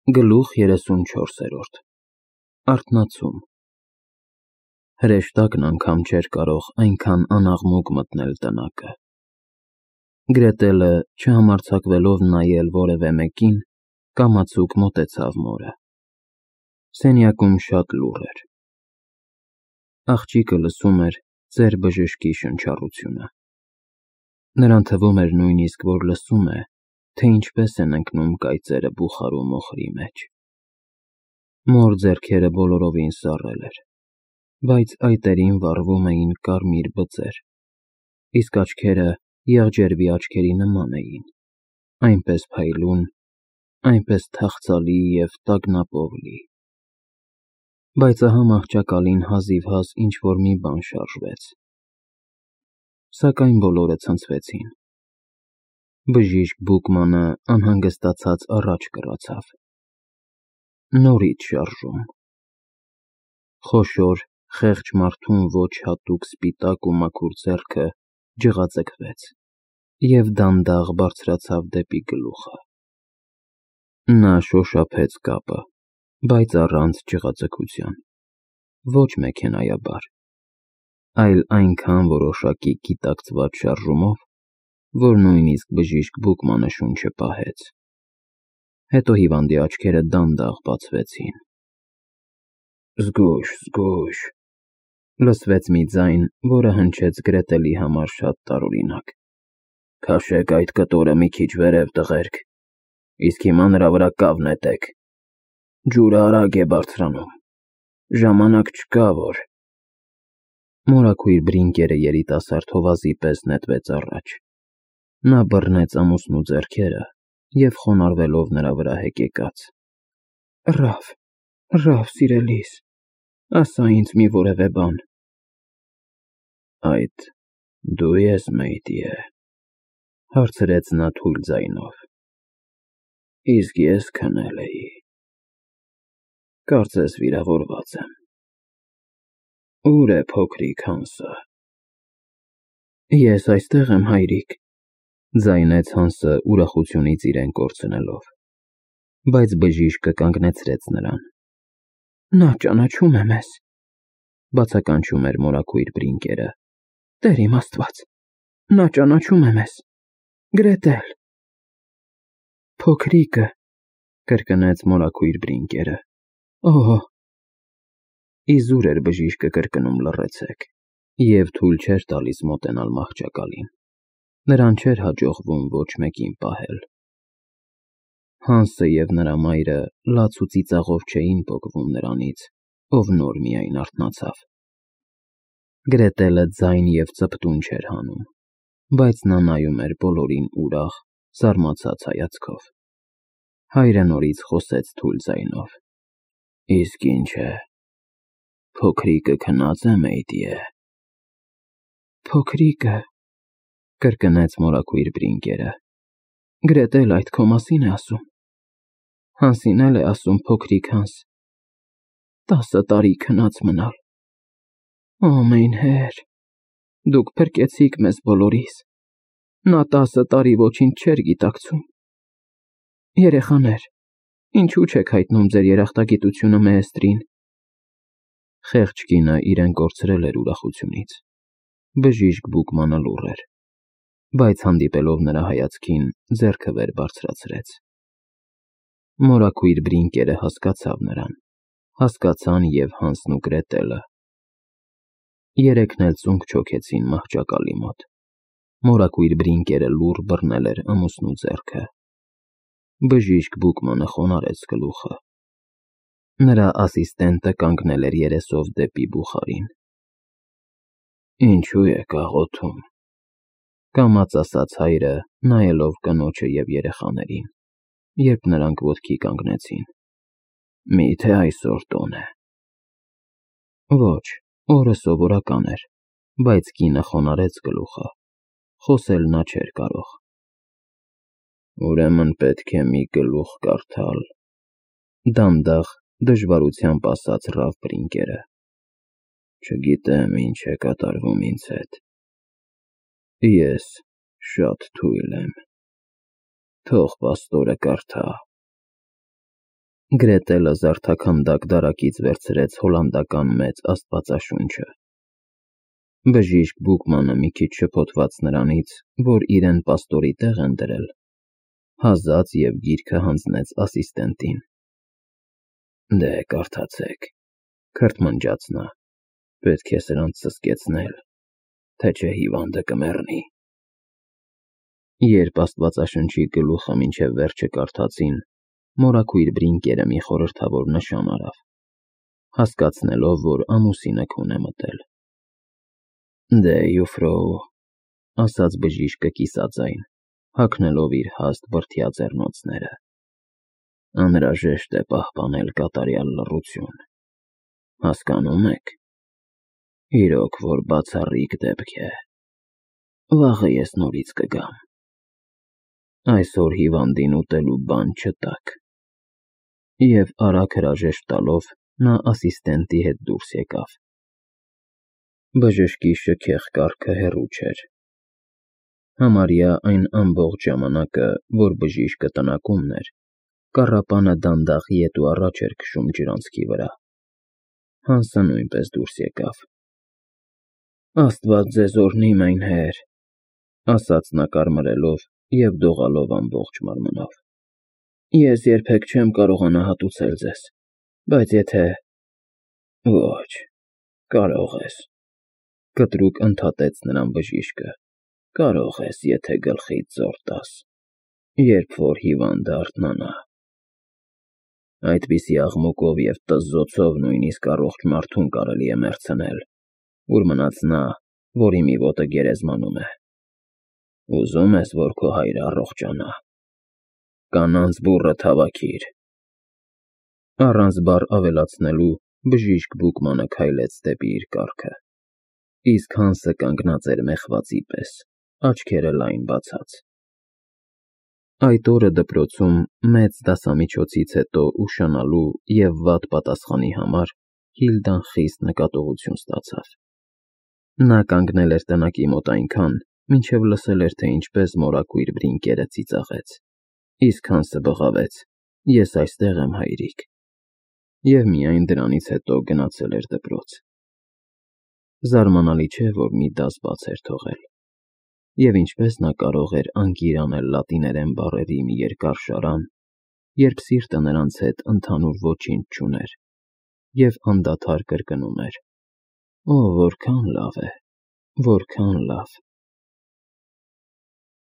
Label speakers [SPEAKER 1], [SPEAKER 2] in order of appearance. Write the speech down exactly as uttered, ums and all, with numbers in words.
[SPEAKER 1] Գլուխ երեսունչորսերորդ Արթնացում Հրեշտակն անգամ չէր կարող այնքան անաղմուկ մտնել տնակը։ Գրետելը, չհամարձակվելով նայել որևէ մեկին, կամացուկ մոտեցավ մորը։ Սենյակում շատ լուռ էր։ Աղջիկը լսում էր ծեր բժշկի շնչառությունը։ Նրան թվում էր նույնիսկ, որ լսում է, թե ինչպես են ընկնում կայծերը բուխարու մոխրի մեջ։ Մոր ձեռքերը բոլորովին սառել էր, բայց այտերին վառվում էին կարմիր բծեր, իսկ աչքերը եղջերվի աչքերի նման էին, այնպես փայլուն, այնպես թախծալի և տագնապով լի։ Բայց ահա մահճակալին հազիվհազ ինչ-որ մի բան շարժվեց։ Սակայն բոլորը ցնցվեցին։ Բժիշկ Բուկմանը անհանգստացած առաջ կռացավ։ Նորից շարժում։ Խոշոր, խեղճ մարդուն ոչ հատուկ սպիտակ ու մաքուր ձեռքը ջղաձգվեց և դանդաղ բարձրացավ դեպի գլուխը։ Նա շոշափեց կապը, բայց առանց ջղաձգության, ոչ մեքենայաբար, այլ այնքան որոշակի գիտակցված շարժումով, որ նույնիսկ բժիշկ Բուկմանը շունչը պահեց։ Հետո հիվանդի աչքերը դանդաղ բացվեցին։ «Զգույշ, զգույշ», լսվեց մի ձայն, որը հնչեց Գրետելի համար շատ տարօրինակ։ «Քաշեք այդ կտորը մի քիչ վերև, տղերք, իսկ հիմա նրա վրա կավ նետեք։ Ջուրը արագ է բարձրանում, ժամանակ չկա, որ…» Մորաքույր Բրինկերը երիտասարդ հովազի պես նետվեց առաջ։ Նա բռնեց ամուսնու ձեռքերը և խոնարհվելով նրա վրա հեկեկաց. «Ռաֆ, Ռաֆ սիրելիս, ասա ինձ մի որևէ բան»։ «Այդ դու ես, Մեյդիե», հարցրեց նա թույլ ձայնով։ «Իսկ ես քնել էի։ Կարծես վիրավորված եմ։ Ո՞ւր է փոքրիկ Հանսը»։ «Ես այստեղ եմ, հայրիկ», ձայնեց Հանսը ուրախությունից իրեն կորցնելով, բայց բժիշկը կանգնեցրեց նրան։ «Նա ճանաչում է մեզ», բացականչում էր մորաքույր Բրինկերը։ «Տեր իմ Աստված, նա ճանաչում է մեզ, Գրետել»։ «Փոքրիկը», կրկնեց մորաքույր Բրինկերը։ «Օհ»։ Իզուր էր բժիշկը կրկնում լռեցեք, և թույլ չէր տալիս մոտենալ մահճակալին։ Նրան չէր հաջողվում ոչ մեկին պահել։ Հանսը և նրա մայրը լաց ու ծիծաղով չէին պոկվում նրանից, ով նոր միայն արթնացավ։ Գրետելը ձայն և ծպտուն չէր հանում, բայց նա նայում էր բոլորին ուրախ, զարմացած հայացքով։ Հայրը նորից խոսեց թույլ ձայնով. «Իսկ ինչ է, փոքրիկը քնած է, Մեյդիե»։ «Փոքրիկը», կրկնեց մորաքույր Բրինկերը։ «Գրետելը այդ քո մասին է ասում։ Հանսին էլ է ասում փոքրիկ Հանս։ Տասը տարի քնած մնալ։ Ամենհեր, դուք փրկեցիք մեզ բոլորիս։ Նա տասը տարի ոչինչ չէր գիտակցում։ Երեխաներ, ինչու չեք հայտնում ձեր երախտագիտությունը Մեեստրին»։ Խեղճ կինը իրեն կորցրել էր ուրախությունից։ Բժիշկ Բուկմանը լուռ էր, բայց հանդիպելով նրա հայացքին, ձեռքը վեր բարձրացրեց։ Մորաքույր Բրինկերը հասկացավ նրան, հասկացան և Հանսն ու Գրետելը։ Երեքն էլ ծունկ չոքեցին մահճակալի մոտ։ Մորաքույր Բրինկերը լուռ բռնել էր ամուսնու ձեռքը։ Բժիշկ Բուկմանը խոնարհեց գլուխը։ Նրա ասիստենտը կանգնել էր երեսով դեպի բուխարին։ «Ինչու եք աղոթում», կամաց ասաց հայրը, նայելով կնոջը և երեխաներին, երբ նրանք ոտքի կանգնեցին։ «Մի՞թե այսօր տոն է»։ Ոչ, օրը սովորական էր, բայց կինը խոնարհեց գլուխը, խոսել նա չէր կարող։ «Ուրեմն պետք է մի գլուխ կարդալ», դանդաղ, դժվարությամբ ասաց Ռաֆ Բրինկերը։ «Չգիտեմ ինչ է կատարվում ինձ հետ։ Ես շատ թույլ եմ։ Թող պաստորը կարդա»։ Գրետելը զարդաքանդակ դարակից վերցրեց հոլանդական մեծ աստվածաշունչը։ Բժիշկ Բուկմանը մի քիչ շփոթված նրանից, որ իրեն պաստորի տեղ են դրել, հազաց և գիրքը հանձնեց ասիստենտին։ Դե կարդացեք, քրթմնջաց նա, պետք է սրանց սսկեցնել, թե չէ հիվանդը կմեռնի։ Երբ աստվածաշնչի գլուխը մինչև վերջը կարդացին, մորաքույր Բրինկերը մի խորհրդավոր նշան արավ, հասկացնելով, որ ամուսինը քուն է մտել։ Դե յուֆրոու, ասաց բժիշկը կիսաձայն, հագնելով իր հաստ բրդյա ձեռնոցները, անհրաժեշտ է պահպանել կատարյալ լռություն, հասկանո՞ւմ եք։ Իրոք որ բացառիկ դեպք է, վաղը ես նորից կգամ։ Այսօր հիվանդին ուտելու բան չտաք։ Եվ արագ հրաժեշտ տալով նա ասիստենտի հետ դուրս եկավ։ Բժշկի շքեղ կառքը հեռու չէր։ Համարյա այն ամբողջ ժամանակը, որ բժիշկը տնակումն էր, կառապանը դանդաղ ետ ու առաջ էր քշում ջրանցքի վրա։ Հանսը նույնպես դուրս եկավ։ Աստված ձեզ օրհնի, մայնհեր, ասաց նա կարմրելով և դողալով ամբողջ մարմնով։ Ես երբեք չեմ կարողանա հատուցել ձեզ, բայց եթե… Ոչ, կարող ես, կտրուկ ընդհատեց նրան բժիշկը, կարող ես, եթե գլխիդ զոր տաս, երբ որ հիվանդը արթնանա։ Այդպիսի աղմուկով և տզզոցով նույնիսկ առողջ մարդուն կարելի է մեռցնել, ուր մնաց նա, որի մի ոտը գերեզմանում է։ Ուզում ես, որ քո հայրը առողջանա։ Կանանց բուռը թավաքիր։ Առանց բառ ավելացնելու բժիշկ Բուկմանը քայլեց դեպի իր կառքը, իսկ Հանսը կանգնած էր մեխվածի պես, աչքերը լայն բացած։ Այդ օրը դպրոցում մեծ դասամիջոցից հետո ուշանալու և վատ պատասխանի համար Հիլդան խիստ նկատողություն ստացավ։ Նա կանգնել էր տնակի մոտ այնքան, մինչև լսել էր, թե ինչպես մորաքույր Բրինկերը ծիծաղեց, իսկ Հանսը բղավեց. Ես այստեղ եմ, հայրիկ, և միայն դրանից հետո գնացել էր դպրոց։ Զարմանալի չէ, որ մի դաս բաց էր թողել, և ինչպես նա կարող էր անկիր անել լատիներեն բառերի մի երկար շարան, երբ սիրտը նրանց հետ ընդհանուր ոչինչ չուներ, և անդադար կրկնում էր. Օ, որքան լավ է, որքան լավ։